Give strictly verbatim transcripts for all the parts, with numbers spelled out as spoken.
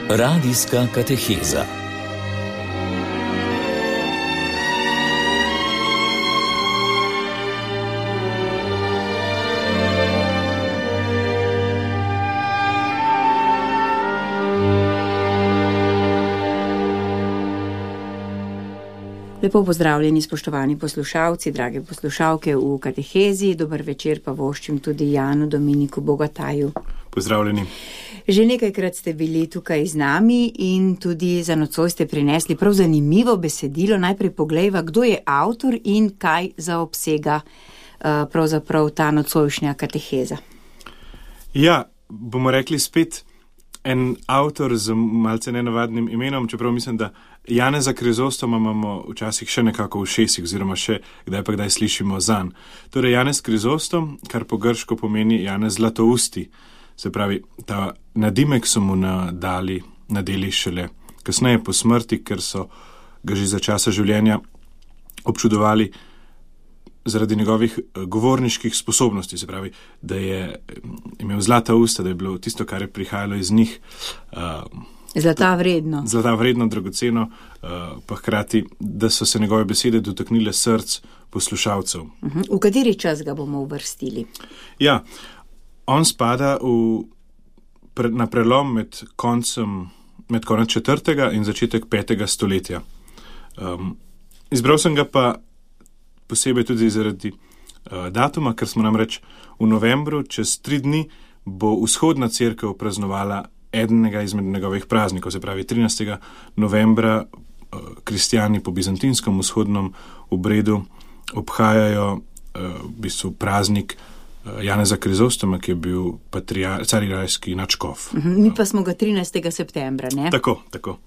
Radijska kateheza. Lepo pozdravljeni, spoštovani poslušalci, drage poslušalke v katehezi. Dober večer pa voščim tudi Janu Dominiku Bogataju. Pozdravljeni. Že nekajkrat ste bili tukaj z nami in tudi za nocoj ste prinesli prav zanimivo besedilo. Najprej poglejva, kdo je avtor in kaj zaobsega uh, pravzaprav ta nocojšnja kateheza. Ja, bomo rekli spet en avtor z malce nenavadnim imenom, čeprav mislim, da Janeza Krizostoma imamo včasih še nekako v šesih, oziroma še kdaj pa kdaj slišimo zanj. Torej, Janez Krizostom, kar po grško pomeni Janez Zlatousti, se pravi, ta nadimek so mu nadali, nadeli šele kasneje po smrti, ker so ga že za časa življenja občudovali zaradi njegovih govorniških sposobnosti, se pravi, da je imel zlata usta, da je bilo tisto, kar je prihajalo iz njih, uh, Zlata vredno. Zlata vredno, dragoceno, uh, pa hkrati, da so se njegove besede dotaknile src poslušalcev. Uh-huh. V kateri čas ga bomo uvrstili? Ja, on spada v, pre, na prelom med koncem, med konec četrtega in začetek petega stoletja. Um, izbral sem ga pa posebej tudi zaradi uh, datuma, ker smo namreč v novembru, čez tri dni, bo vzhodna cerkev praznovala enega izmed njegovih praznikov, se pravi trinajstega novembra uh, kristjani po bizantinskem vzhodnem obredu obhajajo uh, v bistvu praznik uh, Janeza Krizostoma, ki je bil patriar, carigrajski nadškof. Uh-huh. Mi pa smo ga trinajstega septembra, ne? Tako, tako.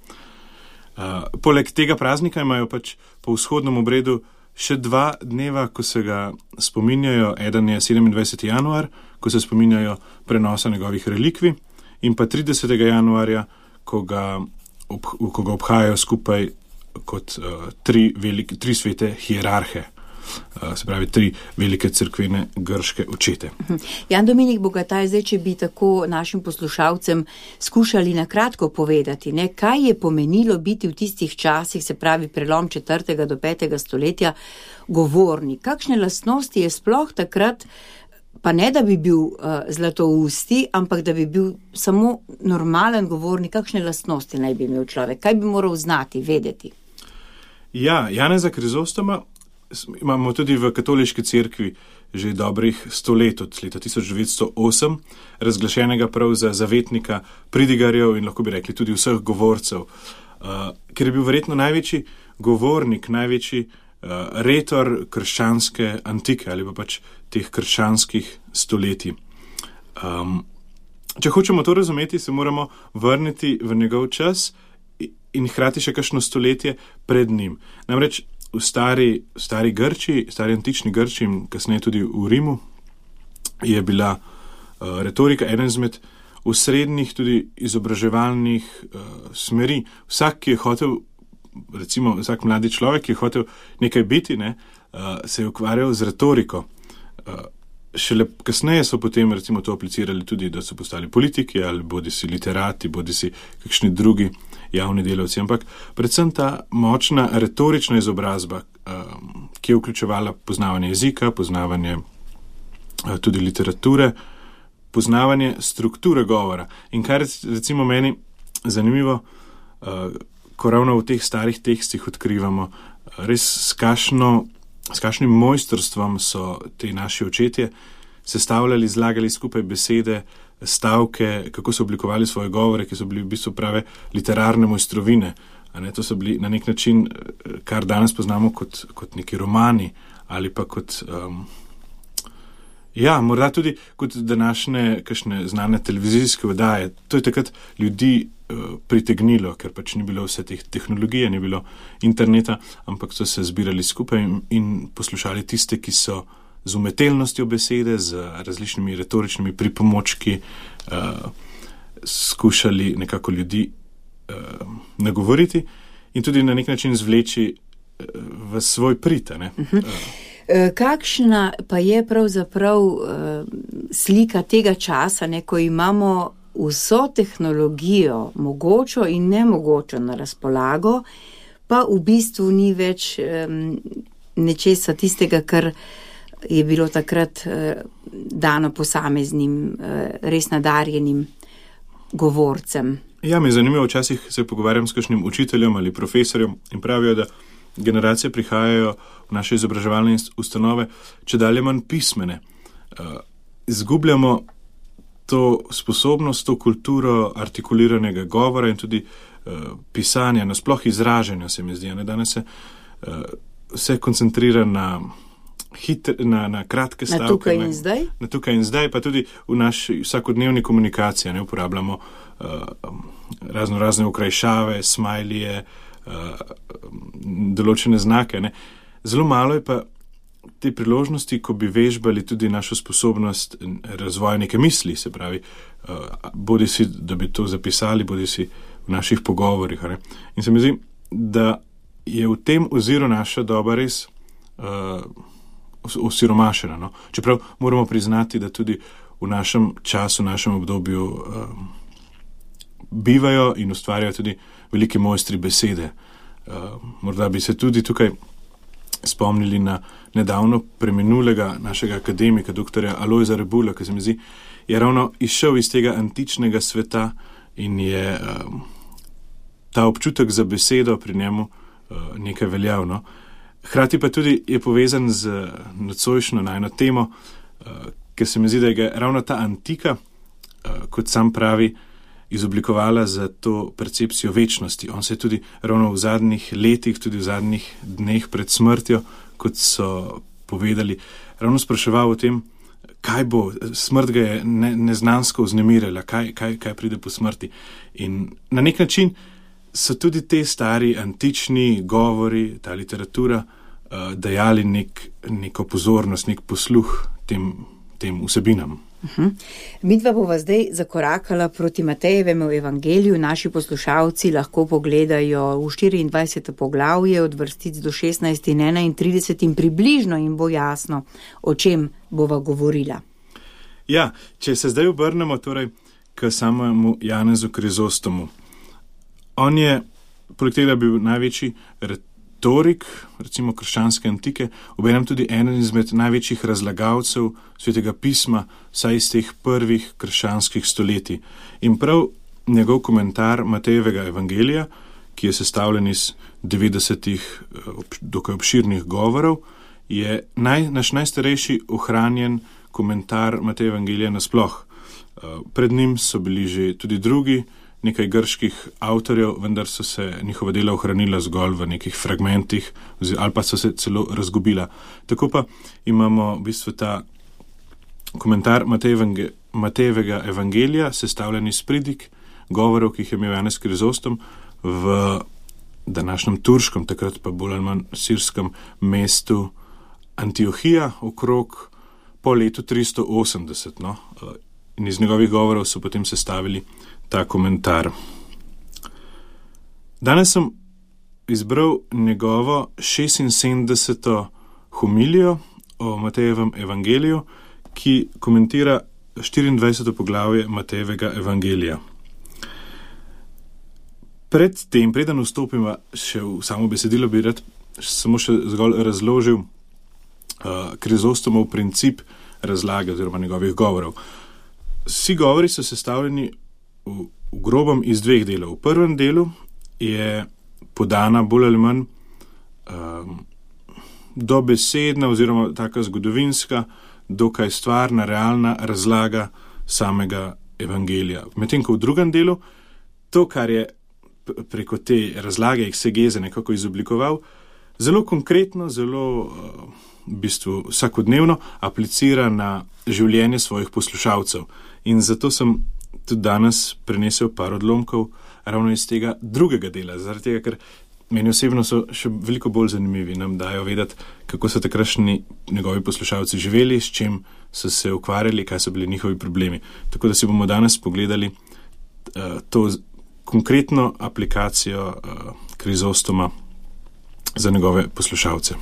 Uh, poleg tega praznika imajo pač po vzhodnem obredu še dva dneva, ko se ga spominjajo. Eden je sedemindvajseti januar, ko se spominjajo prenosa njegovih relikvij, in pa tridesetega januarja, ko ga, ob, ko ga obhajajo skupaj kot uh, tri, velike, tri svete hierarhe, uh, se pravi tri velike cerkvene grške očete. Jan Dominik Bogataj, zdaj, če bi tako našim poslušalcem skušali na kratko povedati, ne, kaj je pomenilo biti v tistih časih, se pravi prelom četrtega do petega stoletja, govornik. Kakšne lastnosti je sploh takrat, pa ne da bi bil uh, zlatousti, ampak da bi bil samo normalen govornik, kakšne lastnosti naj bi imel človek, kaj bi moral znati, vedeti? Ja, Janeza Krizostoma imamo tudi v katoliški cerkvi že dobrih sto let, od leta tisoč devetsto osem, razglašenega prav za zavetnika pridigarjev in lahko bi rekli tudi vseh govorcev, uh, ker je bil verjetno največji govornik, največji uh, retor krščanske antike ali pa pač teh krščanskih stoletij. Um, če hočemo to razumeti, se moramo vrniti v njegov čas in hkrati še kakšno stoletje pred njim. Namreč v stari, stari Grčiji, stari antični Grčiji in kasneje tudi v Rimu je bila uh, retorika eden izmed osrednjih tudi izobraževalnih uh, smeri. Vsak, ki je hotel, recimo vsak mladi človek, ki je hotel nekaj biti, ne, uh, se je ukvarjal z retoriko. Uh, šele kasneje so potem recimo to aplicirali tudi, da so postali politiki ali bodi si literati, bodi si kakšni drugi javni delavci, ampak predvsem ta močna retorična izobrazba, um, ki je vključevala poznavanje jezika, poznavanje uh, tudi literature, poznavanje strukture govora. In kar recimo meni zanimivo, uh, ko ravno v teh starih tekstih odkrivamo, uh, res s kašno S kakšnim mojstrstvom so te naši očetje sestavljali, zlagali skupaj besede, stavke, kako so oblikovali svoje govore, ki so bili v bistvu prave literarne mojstrovine. A ne, to so bili na nek način, kar danes poznamo kot, kot neki romani ali pa kot, um, ja, morda tudi kot današnje kakšne znane televizijske oddaje. To je takrat ljudi pritegnilo, ker pač ni bilo vse teh tehnologije, ni bilo interneta, ampak so se zbirali skupaj in poslušali tiste, ki so z umetelnostjo besede, z različnimi retoričnimi pripomočki uh, skušali nekako ljudi uh, nagovoriti in tudi na nek način zvleči uh, v svoj prid. Uh-huh. Uh, Kakšna pa je pravzaprav uh, slika tega časa, ne, ko imamo vso tehnologijo, mogočo in nemogočo na razpolago, pa v bistvu ni več um, nečesa tistega, kar je bilo takrat uh, dano posameznim, uh, res nadarjenim govorcem. Ja, me je zanimivo, včasih se pogovarjam s kakšnim učiteljem ali profesorjem in pravijo, da generacije prihajajo v naše izobraževalne ustanove, če dalje manj pismene. Uh, izgubljamo to sposobnost, to kulturo artikuliranega govora in tudi uh, pisanja, nasploh izražanja, se mi zdi. Ne? Danes se uh, vse koncentrira na, hitre, na, na kratke stavke. Na tukaj in zdaj? Na tukaj in zdaj, pa tudi v naši vsakodnevni komunikaciji. Ne? Uporabljamo uh, razno razne okrajšave, smajlije, uh, določene znake. Ne? Zelo malo je pa te priložnosti, ko bi vežbali tudi našo sposobnost razvoja neke misli, se pravi, uh, bodi si, da bi to zapisali, bodi si v naših pogovorih. Ne? In se mi zdi, da je v tem oziru naša doba res uh, osiromašena. No? Čeprav moramo priznati, da tudi v našem času, v našem obdobju uh, bivajo in ustvarjajo tudi veliki mojstri besede. Uh, morda bi se tudi tukaj spomnili na nedavno preminulega našega akademika, doktorja Alojza Rebula, ki se mi zdi, je ravno izšel iz tega antičnega sveta in je um, ta občutek za besedo pri njemu uh, nekaj veljavno. Hrati pa tudi je povezan z nocojšnjo najno temo, uh, ker se mi zdi, da je ravno ta antika, uh, kot sam pravi, izoblikovala za to percepcijo večnosti. On se je tudi ravno v zadnjih letih, tudi v zadnjih dneh pred smrtjo, kot so povedali, ravno spraševal o tem, kaj bo, smrt ga je ne, neznansko vznemirila, kaj, kaj, kaj pride po smrti. In na nek način so tudi te stari antični govori, ta literatura, uh, dajali nek, neko pozornost, nek posluh tem, tem vsebinam. Uh-huh. Midva bova zdaj zakorakala proti Matejevemu evangeliju. Naši poslušalci lahko pogledajo v štiriindvajseto poglavje od vrstic do šestnajst in enaintrideset in približno jim bo jasno, o čem bova govorila. Ja, če se zdaj obrnemo torej k samemu Janezu Krizostomu. On je, poleg tega bil največji retorik, recimo krščanske antike, obenem tudi eden izmed največjih razlagalcev Svetega pisma, saj iz teh prvih krščanskih stoletij. In prav njegov komentar Matejevega evangelija, ki je sestavljen iz devetdesetih dokaj obširnih govorov, je naj, naš najstarejši ohranjen komentar Matejeva evangelija nasploh. Pred njim so bili že tudi drugi, nekaj grških avtorjev, vendar so se njihova dela ohranila zgolj v nekih fragmentih ali pa so se celo razgubila. Tako pa imamo v bistvu ta komentar Matejevega evangelija, sestavljen iz pridig govorov, ki jih je imel Janez Krizostom v današnjem turškem, takrat pa bolj ali manj sirskem mestu Antiohija okrog po letu tristo osemdeset. No? In iz njegovih govorov so potem sestavili ta komentar. Danes sem izbral njegovo šestinsedemdeseto homilijo o Matejevem evangeliju, ki komentira štiriindvajseto poglavje Matejevega evangelija. Pred tem, preden vstopimo še v samo besedilo, bi rad samo še zgolj razložil uh, Krizostomov princip razlage oziroma njegovih govorov. Vsi govori so sestavljeni v, v grobem iz dveh delov. V prvem delu je podana bolj ali manj um, dobesedna oziroma taka zgodovinska, dokaj stvarna, realna razlaga samega evangelija. Medtem ko v drugem delu to, kar je preko te razlage eksegeze nekako izoblikoval, zelo konkretno, zelo uh, v bistvu vsakodnevno aplicira na življenje svojih poslušalcev. In zato sem tudi danes prenesel par odlomkov ravno iz tega drugega dela, zaradi tega, ker meni osebno so še veliko bolj zanimivi, nam dajo vedeti, kako so takrašni njegovi poslušalci živeli, s čim so se ukvarjali, kaj so bili njihovi problemi. Tako da si bomo danes pogledali uh, to konkretno aplikacijo uh, Krizostoma za njegove poslušalce.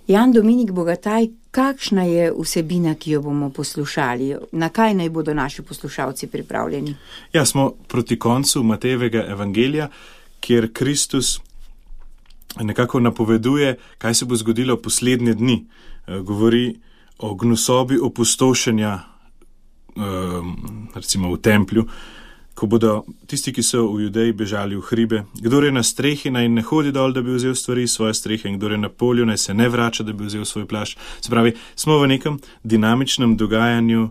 Jan Dominik Bogataj, kakšna je vsebina, ki jo bomo poslušali? Na kaj naj bodo naši poslušalci pripravljeni? Ja, smo proti koncu Matejevega evangelija, kjer Kristus nekako napoveduje, kaj se bo zgodilo v poslednje dni. Govori o gnusobi opustošenja, recimo v templju, ko bodo tisti, ki so v Judeji, bežali v hribe. Kdor je na strehi, naj ne hodi dol, da bi vzel stvari svoje strehe, in kdor je na polju, naj se ne vrača, da bi vzel svoj plašč. Se pravi, smo v nekem dinamičnem dogajanju,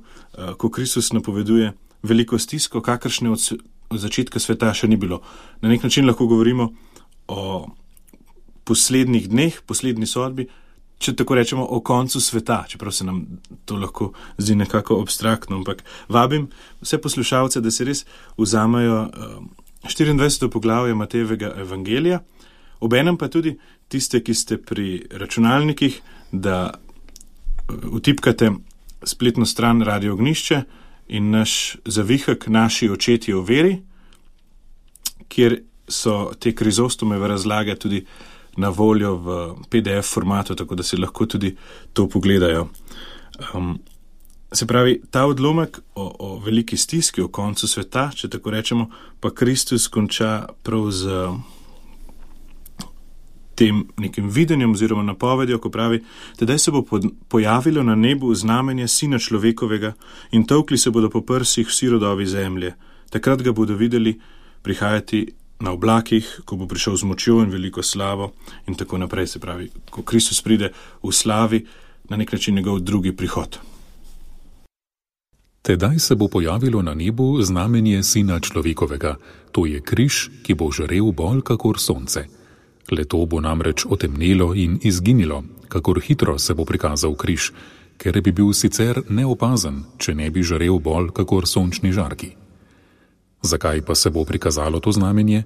ko Kristus napoveduje veliko stisko, kakršne od, od začetka sveta še ni bilo. Na nek način lahko govorimo o poslednjih dneh, poslednji sodbi, če tako rečemo, o koncu sveta, čeprav se nam to lahko zdi nekako abstraktno, ampak vabim vse poslušalce, da se res vzamejo štiriindvajseto poglavje Matejevega evangelija, obenem pa tudi tiste, ki ste pri računalnikih, da vtipkate spletno stran Radio Ognjišče in naš zavihek Naši očetje v veri, kjer so te Krizostomove razlage tudi na voljo v P D F formatu, tako da se lahko tudi to pogledajo. Um, se pravi, ta odlomek o, o veliki stiski, o koncu sveta, če tako rečemo, pa Kristus konča prav z tem nekim videnjem oziroma napovedjo, ko pravi, tedaj se bo pojavilo na nebu znamenje Sina človekovega in tolkli se bodo po prsih vsi rodovi zemlje. Takrat ga bodo videli prihajati na oblakih, ko bo prišel z močjo in veliko slavo in tako naprej. Se pravi, ko Kristus pride v slavi, na nek način njegov drugi prihod. Tedaj se bo pojavilo na nebu znamenje Sina človekovega, to je križ, ki bo žarel bolj kakor sonce. Leto bo namreč otemnelo in izginilo, kakor hitro se bo prikazal križ, ker bi bil sicer neopazen, če ne bi žarel bolj kakor sončni žarki. Zakaj pa se bo prikazalo to znamenje?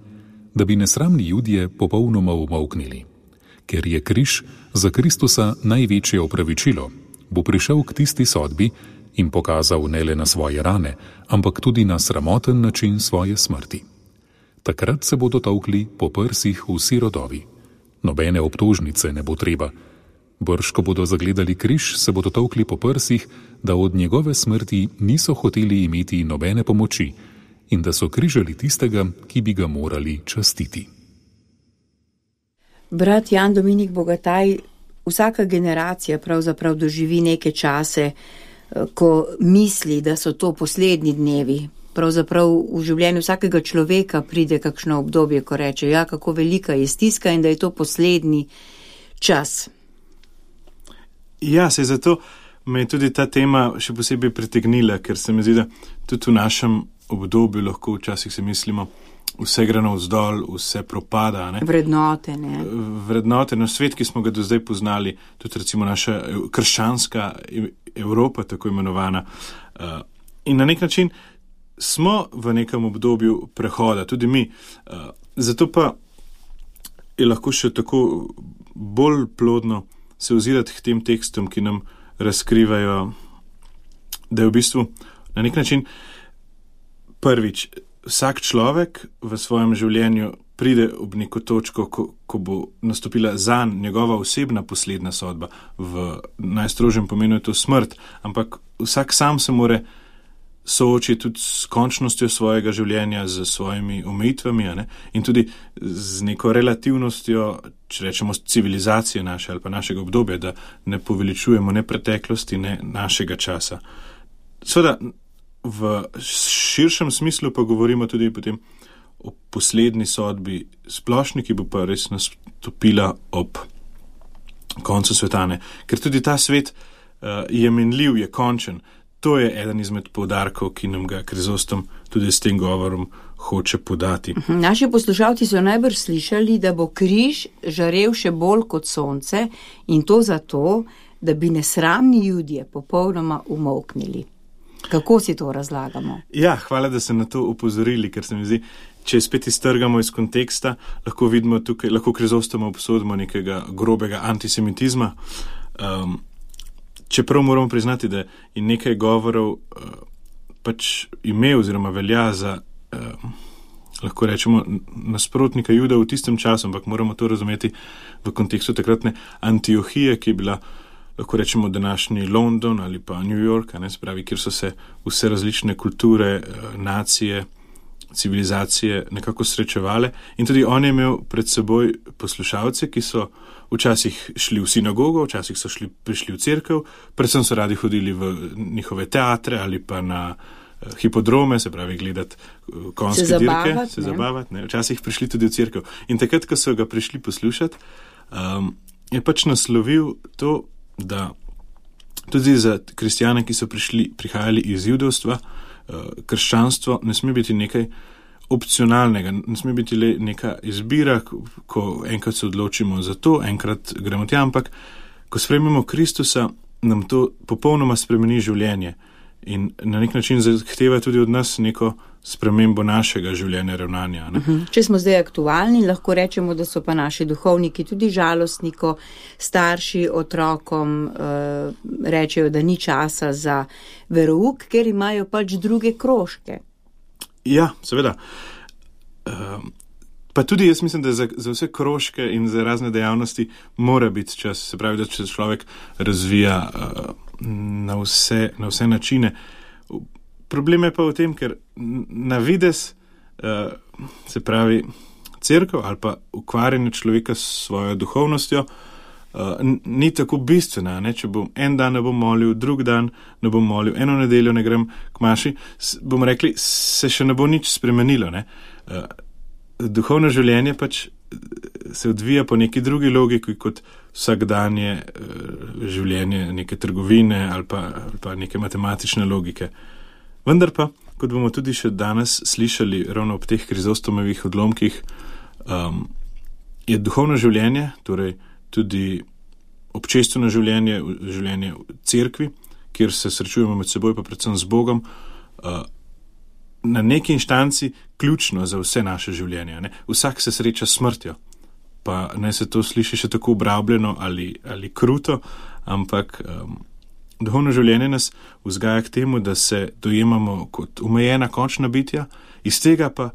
Da bi nesramni Judje popolnoma umolknili. Ker je križ za Kristusa največje opravičilo, bo prišel k tisti sodbi in pokazal ne le na svoje rane, ampak tudi na sramoten način svoje smrti. Takrat se bodo tolkli po prsih vsi rodovi. Nobene obtožnice ne bo treba. Brž, ko bodo zagledali križ, se bodo tolkli po prsih, da od njegove smrti niso hoteli imeti nobene pomoči, in da so križali tistega, ki bi ga morali častiti. Brat Jan Dominik Bogataj, vsaka generacija pravzaprav doživi neke čase, ko misli, da so to poslednji dnevi. Pravzaprav v življenju vsakega človeka pride kakšno obdobje, ko reče, ja, kako velika je stiska in da je to poslednji čas. Ja, se zato me je tudi ta tema še posebej pritegnila, ker se mi zdi, da tudi v našem obdobju lahko včasih se mislimo, vse gre navzdol, vse propada. Ne? Vrednote, ne? Vrednote, no, svet, ki smo ga do zdaj poznali, tudi recimo naša krščanska Evropa, tako imenovana. In na nek način smo v nekem obdobju prehoda, tudi mi. Zato pa je lahko še tako bolj plodno se ozirati k tem tekstom, ki nam razkrivajo, da je v bistvu na nek način prvič, vsak človek v svojem življenju pride ob neko točko, ko, ko bo nastopila zanj njegova osebna posledna sodba. V najstrožjem pomenu je to smrt, ampak vsak sam se more soočiti tudi s končnostjo svojega življenja, z svojimi omejitvami, ne? In tudi z neko relativnostjo, če rečemo, civilizacije naše ali pa našega obdobja, da ne poveličujemo ne preteklosti, ne našega časa. Seveda, v širšem smislu pa govorimo tudi potem o poslednji sodbi splošni, ki bo pa res nastopila ob koncu svetane. Ker tudi ta svet uh, je minljiv, je končen. To je eden izmed poudarkov, ki nam ga Krizostom tudi s tem govorom hoče podati. Naši poslušalci so najbrž slišali, da bo križ žarel še bolj kot sonce in to zato, da bi nesramni Judje popolnoma umolknili. Kako si to razlagamo? Ja, hvala, da ste na to upozorili, ker se mi zdi, če spet iztrgamo iz konteksta, lahko vidimo tukaj, lahko Krizostoma obsodimo nekega grobega antisemitizma. Um, čeprav moramo priznati, da je nekaj govorov uh, pač ime oziroma velja za uh, lahko rečemo, nasprotnika Juda v tistem času, ampak moramo to razumeti v kontekstu takratne Antiohije, ki je bila, lahko rečemo, današnji London ali pa New York, ne, spravi, kjer so se vse različne kulture, nacije, civilizacije nekako srečevale in tudi on je imel pred seboj poslušalce, ki so včasih šli v sinagogo, včasih so šli, prišli v cerkev, predvsem so radi hodili v njihove teatre ali pa na hipodrome, se pravi gledati konjske se dirke, zabavati, se ne? zabavati, ne? Včasih prišli tudi v cerkev. In takrat, ko so ga prišli poslušati, um, je pač naslovil to, da tudi za kristjane, ki so prišli, prihajali iz judovstva, krščanstvo ne sme biti nekaj opcionalnega, ne sme biti le neka izbira, ko enkrat se odločimo za to, enkrat gremo tja, ampak ko sprejmemo Kristusa, nam to popolnoma spremeni življenje in na nek način zahteva tudi od nas neko spremembo našega življenja, ravnanja. Ne? Uh-huh. Če smo zdaj aktualni, lahko rečemo, da so pa naši duhovniki tudi žalostni, ko starši otrokom uh, rečejo, da ni časa za verouk, ker imajo pač druge krožke. Ja, seveda. Uh, pa tudi jaz mislim, da za, za vse krožke in za razne dejavnosti mora biti čas. Se pravi, da če človek razvija uh, na, vse, na vse načine. Problem je pa v tem, ker na vides, uh, se pravi, cerkev ali pa ukvarjanje človeka s svojo duhovnostjo uh, ni tako bistvena. Ne? Če bom en dan ne bom molil, drug dan ne bom molil, eno nedeljo ne grem k maši, bomo rekli, se še ne bo nič spremenilo. Ne? Uh, duhovno življenje pač se odvija po neki drugi logiki kot vsakdanje uh, življenje neke trgovine ali pa, ali pa neke matematične logike. Vendar pa, kot bomo tudi še danes slišali ravno ob teh Krizostomovih odlomkih, um, je duhovno življenje, torej tudi občestveno življenje, življenje v cerkvi, kjer se srečujemo med seboj, pa predvsem z Bogom, uh, na neki inštanci ključno za vse naše življenje. Ne? Vsak se sreča s smrtjo, pa naj se to sliši še tako obrabljeno ali, ali kruto, ampak um, duhovno življenje nas vzgaja k temu, da se dojemamo kot omejena končna bitja, iz tega pa,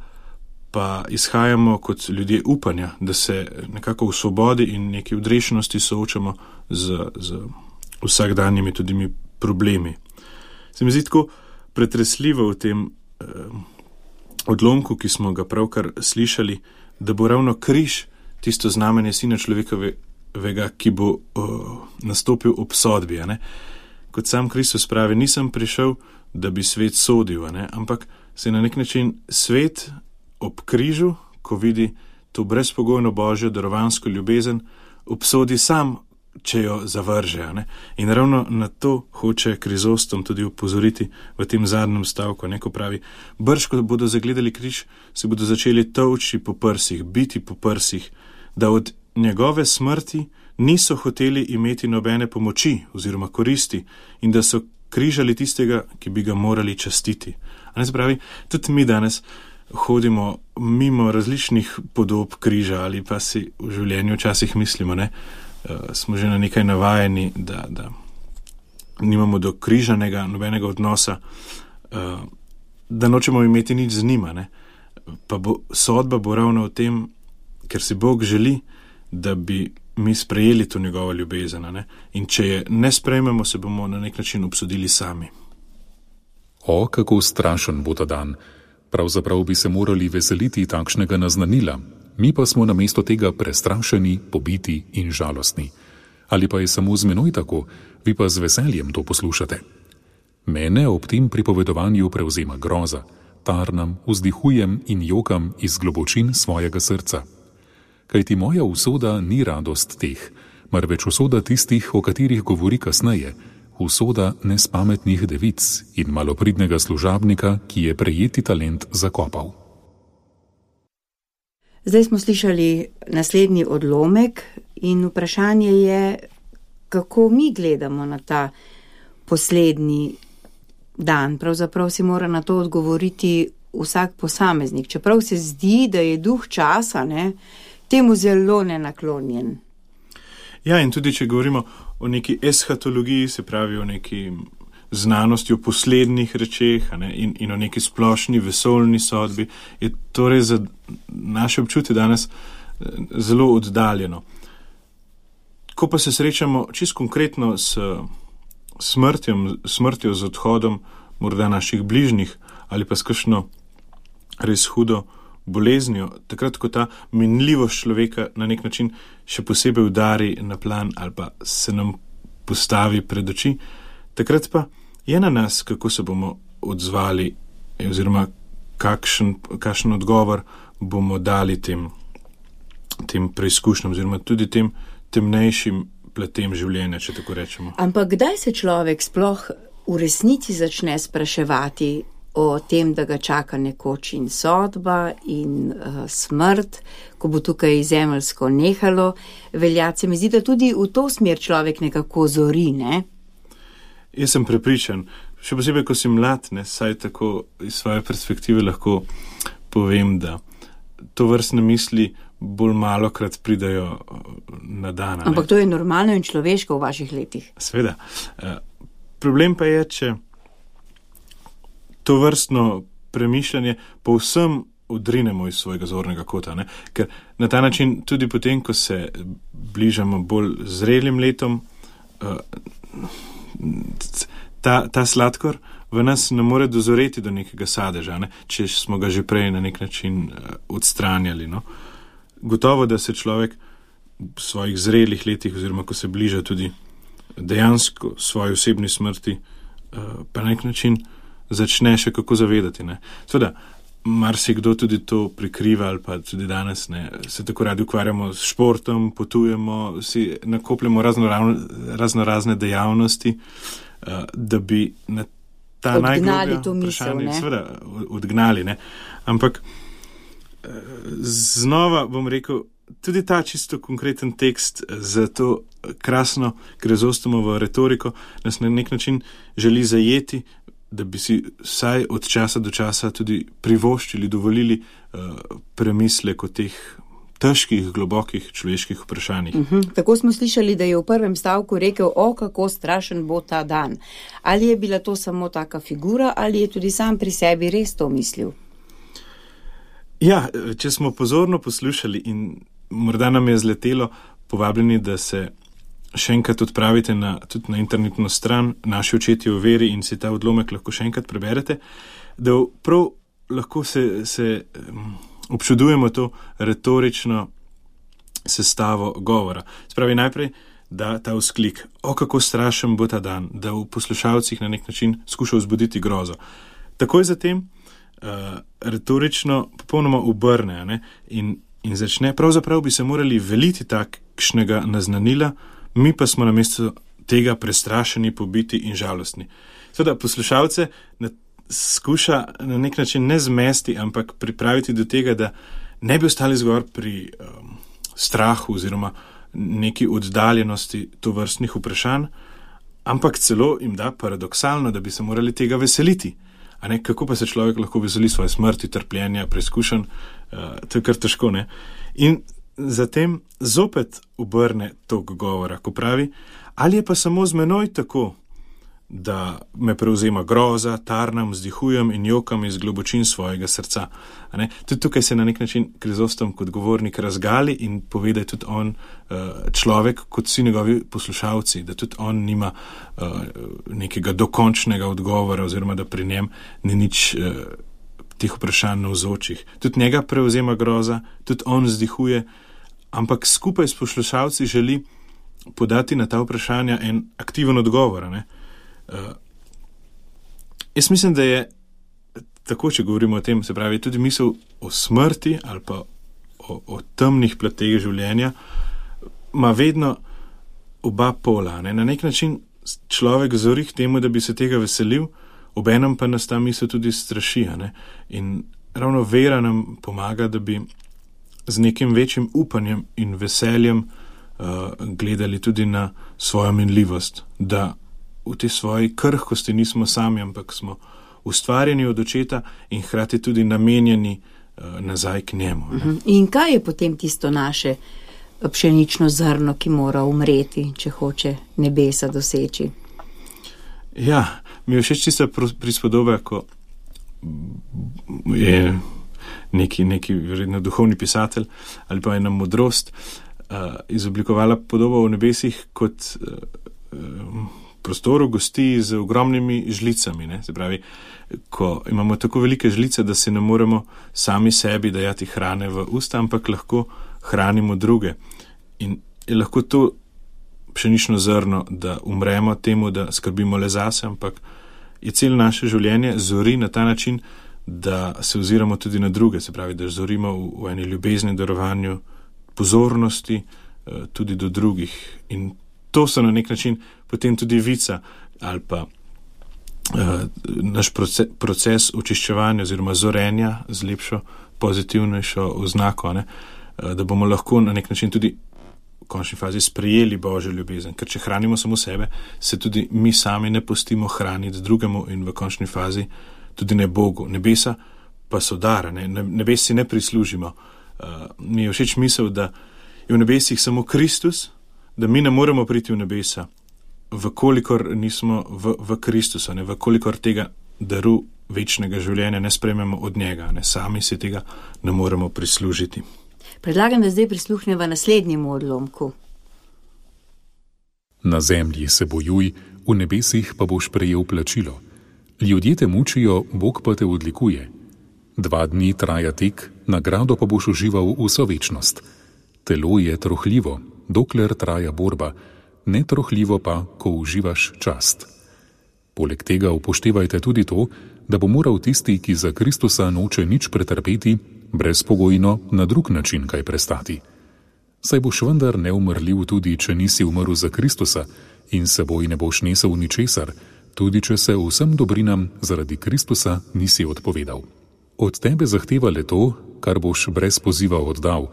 pa izhajamo kot ljudje upanja, da se nekako v svobodi in neki odrešenosti soočamo z, z vsakdanjimi tudi problemi. Se mi zdi tako pretresljivo v tem eh, odlomku, ki smo ga pravkar slišali, da bo ravno križ tisto znamenje Sina človekovega, ki bo uh, nastopil ob sodbi. Ne? Kot sam Kristus pravi, nisem prišel, da bi svet sodil, ne? Ampak se na nek način svet ob križu, ko vidi to brezpogojno Božjo darovansko ljubezen, obsodi sam, če jo zavrže. Ne? In ravno na to hoče Krizostom tudi upozoriti v tem zadnjem stavku, ne? Ko pravi, brž, ko bodo zagledali križ, se bodo začeli tolči po prsih, biti po prsih, da od njegove smrti niso hoteli imeti nobene pomoči oziroma koristi in da so križali tistega, ki bi ga morali častiti. A ne se pravi, tudi mi danes hodimo mimo različnih podob križa ali pa si v življenju včasih mislimo, ne, uh, smo že na nekaj navajeni, da, da nimamo do križanega nobenega odnosa, uh, da nočemo imeti nič z njima. Ne. Pa bo, sodba bo ravno v tem, ker si Bog želi, da bi mi sprejeli to njegovo ljubezen. Ne? In če je ne sprejmemo, se bomo na nek način obsodili sami. O, kako strašen bo ta dan. Pravzaprav bi se morali veseliti takšnega naznanila. Mi pa smo namesto tega prestrašeni, pobiti in žalostni. Ali pa je samo z menoj tako, vi pa z veseljem to poslušate. Mene ob tem pripovedovanju prevzema groza. Tarnam, vzdihujem in jokam iz globočin svojega srca. Kajti moja usoda ni radost teh, marveč usoda tistih, o katerih govori kasneje, usoda nespametnih devic in malopridnega služabnika, ki je prejeti talent zakopal. Zdaj smo slišali naslednji odlomek in vprašanje je, kako mi gledamo na ta poslednji dan. Pravzaprav si mora na to odgovoriti vsak posameznik. Čeprav se zdi, da je duh časa, ne, temu zelo nenaklonjen. Ja, in tudi če govorimo o neki eschatologiji, se pravi o neki znanosti o poslednjih rečeh, a ne, in, in o neki splošni vesoljni sodbi, je torej za naše občutje danes zelo oddaljeno. Ko pa se srečamo čisto konkretno s smrtjem, smrtjo, z odhodom morda naših bližnjih ali pa s kakšno res hudo boleznijo, takrat, ko ta minljivost človeka na nek način še posebej udari na plan ali pa se nam postavi pred oči, takrat pa je na nas, kako se bomo odzvali oziroma kakšen, kakšen odgovor bomo dali tem, tem preizkušnjam oziroma tudi tem temnejšim platem življenja, če tako rečemo. Ampak kdaj se človek sploh v resnici začne spraševati o tem, da ga čaka nekoč in sodba in uh, smrt, ko bo tukaj zemeljsko nehalo veljati? Se mi zdi, da tudi v to smer človek nekako zori, ne? Jaz sem prepričan, še posebej, ko si mlad, ne, saj tako iz svoje perspektive lahko povem, da to vrstne misli bolj malokrat pridajo na dan. Ampak to je normalno in človeško v vaših letih. Sveda. Problem pa je, če to vrstno premišljanje povsem odrinemo iz svojega zornega kota, ne? Ker na ta način tudi potem, ko se bližamo bolj zrelim letom, ta, ta sladkor v nas ne more dozoreti do nekega sadeža, ne? Če smo ga že prej na nek način odstranjali. No? Gotovo, da se človek v svojih zrelih letih, oziroma ko se bliža tudi dejansko svoji osebni smrti, pa na nek način začne še kako zavedati. Ne? Seveda, marsikdo tudi to prikriva ali pa tudi danes ne, se tako radi ukvarjamo s športom, potujemo, si nakopljamo razno, razno razne dejavnosti, da bi na ta najgloblja vprašanja seveda odgnali. Ne? Ampak znova bom rekel, tudi ta čisto konkreten tekst za to krasno Krizostomovo retoriko nas na nek način želi zajeti, da bi si vsaj od časa do časa tudi privoščili, dovolili uh, premislek o teh težkih, globokih človeških vprašanjih. Uh-huh. Tako smo slišali, da je v prvem stavku rekel, o, kako strašen bo ta dan. Ali je bila to samo taka figura, ali je tudi sam pri sebi res to mislil? Ja, če smo pozorno poslušali in morda nam je zletelo, povabljeni, da se še enkrat odpravite na, tudi na internetno stran Naši očetje v veri in si ta odlomek lahko še enkrat preberete, da prav lahko se, se um, občudujemo to retorično sestavo govora. Spravi najprej, da ta vzklik, o kako strašen bo ta dan, da v poslušalcih na nek način skuša vzbuditi grozo. Takoj zatem uh, retorično popolnoma obrne, ne, in, in začne, pravzaprav bi se morali veliti takšnega naznanila, mi pa smo namesto tega prestrašeni, pobiti in žalostni. Seveda poslušalce na, skuša na nek način ne zmesti, ampak pripraviti do tega, da ne bi ostali zgor pri um, strahu oziroma neki oddaljenosti tovrstnih vprašanj, ampak celo jim da paradoksalno, da bi se morali tega veseliti. A ne, kako pa se človek lahko veseli svoje smrti, trpljenja, preizkušenj, uh, to je kar težko, ne? In zatem zopet obrne tok govora, ko pravi, ali je pa samo z menoj tako, da me prevzema groza, tarnam, vzdihujem in jokam iz globočin svojega srca. A ne? Tudi tukaj se na nek način Krizostom kot govornik razgali in pove, da je tudi on uh, človek kot vsi njegovi poslušalci, da tudi on nima uh, nekega dokončnega odgovora oziroma da pri njem ni nič uh, teh vprašanj navzočih. Tudi njega prevzema groza, tudi on vzdihuje, ampak skupaj s poslušalci želi podati na ta vprašanja en aktiven odgovor. Ne? Uh, jaz mislim, da je tako, če govorimo o tem, se pravi, tudi misel o smrti ali pa o, o temnih plateh življenja, ima vedno oba pola. Ne? Na nek način človek zori k temu, da bi se tega veselil, obenem pa nas ta misel tudi straši. Ne? In ravno vera nam pomaga, da bi z nekim večjim upanjem in veseljem uh, gledali tudi na svojo minljivost, da v tej svoji krhkosti nismo sami, ampak smo ustvarjeni od očeta in hkrati tudi namenjeni uh, nazaj k njemu. Ne? In kaj je potem tisto naše pšenično zrno, ki mora umreti, če hoče nebesa doseči? Ja, mi je všeč tista prispodoba, ko je neki, neki vredno duhovni pisatelj ali pa ena modrost uh, izoblikovala podobo v nebesih kot uh, prostoru gosti z ogromnimi žlicami. Ne? Se pravi, ko imamo tako velike žlice, da si ne moremo sami sebi dajati hrane v usta, ampak lahko hranimo druge. In je lahko to pšenično zrno, da umremo temu, da skrbimo le zase, ampak je celo naše življenje zori na ta način, da se oziramo tudi na druge, se pravi, da zorimo v, v eni ljubezni, darovanju, pozornosti tudi do drugih. In to so na nek način potem tudi vica ali pa uh, naš proces, proces očiščevanja oziroma zorenja z lepšo, pozitivnejšo oznako, ne? Uh, da bomo lahko na nek način tudi v končni fazi sprejeli Božjo ljubezen. Ker če hranimo samo sebe, se tudi mi sami ne pustimo hraniti drugemu in v končni fazi tudi ne Bogu. Nebesa pa so dar, ne? Nebes si ne prislužimo. Uh, mi je všeč misel, da je v nebesih samo Kristus, da mi ne moremo priti v nebesa, vkolikor nismo v, v Kristusu, ne? Vkolikor tega daru večnega življenja ne sprejmemo od njega, ne? Sami si tega ne moremo prislužiti. Predlagam, da zdaj prisluhneva naslednjemu odlomku. Na zemlji se bojuj, v nebesih pa boš prejel plačilo. Ljudje te mučijo, Bog pa te odlikuje. Dva dni traja tek, nagrado pa boš užival vso večnost. Telo je trohljivo, dokler traja borba, netrohljivo pa, ko uživaš čast. Poleg tega upoštevajte tudi to, da bo moral tisti, ki za Kristusa noče nič pretrpeti, brezpogojno na drug način kaj prestati. Saj boš vendar neumrljiv tudi, če nisi umrl za Kristusa in seboj ne boš nesel ničesar, tudi če se vsem dobrinam zaradi Kristusa nisi odpovedal. Od tebe zahteva le to, kar boš brez poziva oddal,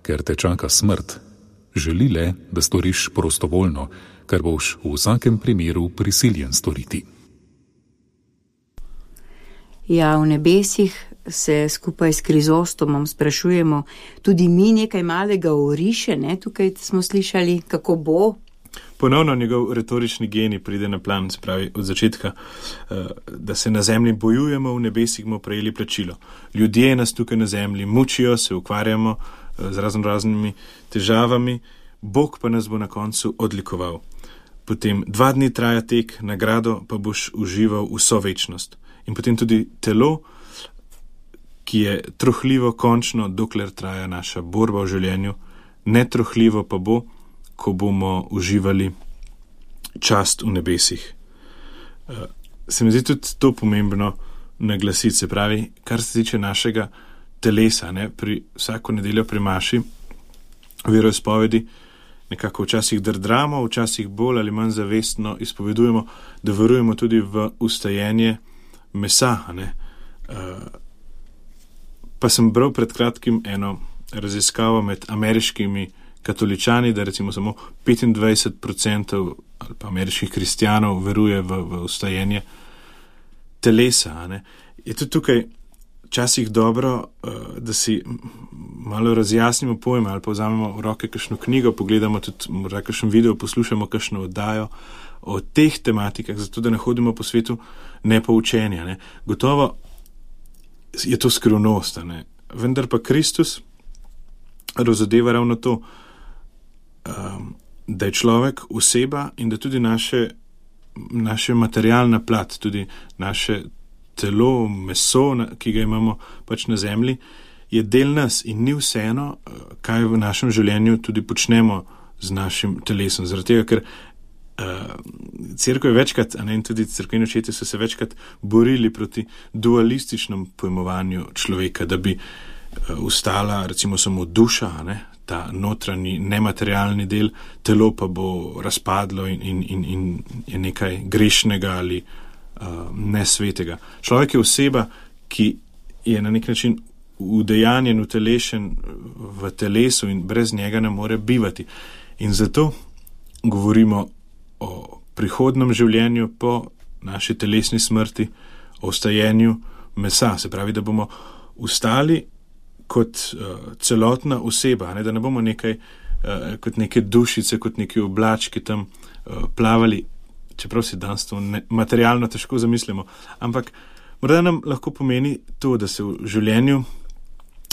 ker te čaka smrt. Želi le, da storiš prostovoljno, kar boš v vsakem primeru prisiljen storiti. Ja, v nebesih se skupaj s Krizostomom sprašujemo tudi mi nekaj malega oriše, ne? Tukaj smo slišali, kako bo. Ponovno njegov retorični genij pride na plan, se pravi od začetka, da se na zemlji bojujemo, v nebesih bomo prejeli plačilo. Ljudje nas tukaj na zemlji mučijo, se ukvarjamo z razno raznimi težavami, Bog pa nas bo na koncu odlikoval. Potem dva dni traja tek, nagrado pa boš užival vso večnost. In potem tudi telo, ki je trohljivo končno, dokler traja naša borba v življenju, netrohljivo pa bo, ko bomo uživali čast v nebesih. Se mi zdi tudi to pomembno naglasiti, se pravi, kar se tiče našega telesa, ne, pri vsako nedeljo pri maši, veroizpovedi, nekako včasih drdramo, včasih bolj ali manj zavestno izpovedujemo, da verujemo tudi v ustajenje mesa. Ne. Pa sem bral pred kratkim eno raziskavo med ameriškimi katoličani, da recimo samo petindvajset procentov ali pa ameriških kristjanov veruje v, v ustajenje telesa. Ne. Je tudi tukaj včasih dobro, da si malo razjasnimo pojme ali pa vzamemo v roke kakšno knjigo, pogledamo tudi morda kakšen video, poslušamo kakšno oddajo o teh tematikah, zato da ne hodimo po svetu nepoučenja. Ne. Gotovo je to skrivnost, ne. Vendar pa Kristus razodeva ravno to, da je človek oseba in da tudi naše, naše materialna plat, tudi naše telo, meso, ki ga imamo pač na zemlji, je del nas in ni vseeno, kaj v našem življenju tudi počnemo z našim telesom. Zaradi tega, ker uh, cerkev je večkrat, a ne, in tudi cerkveni očetje so se večkrat borili proti dualističnem pojmovanju človeka, da bi uh, ustala recimo samo duša, ne, ta notranji nematerialni del, telo pa bo razpadlo in, in, in, in je nekaj grešnega ali uh, nesvetega. Človek je oseba, ki je na nek način udejanjen, utelešen v telesu in brez njega ne more bivati. In zato govorimo o prihodnem življenju po naši telesni smrti, o vstajenju mesa. Se pravi, da bomo vstali kot uh, celotna oseba, ne, da ne bomo nekaj, uh, kot neke dušice, kot neki oblački tam uh, plavali čeprav si danes to ne, materialno težko zamislimo. Ampak morda nam lahko pomeni to, da se v življenju,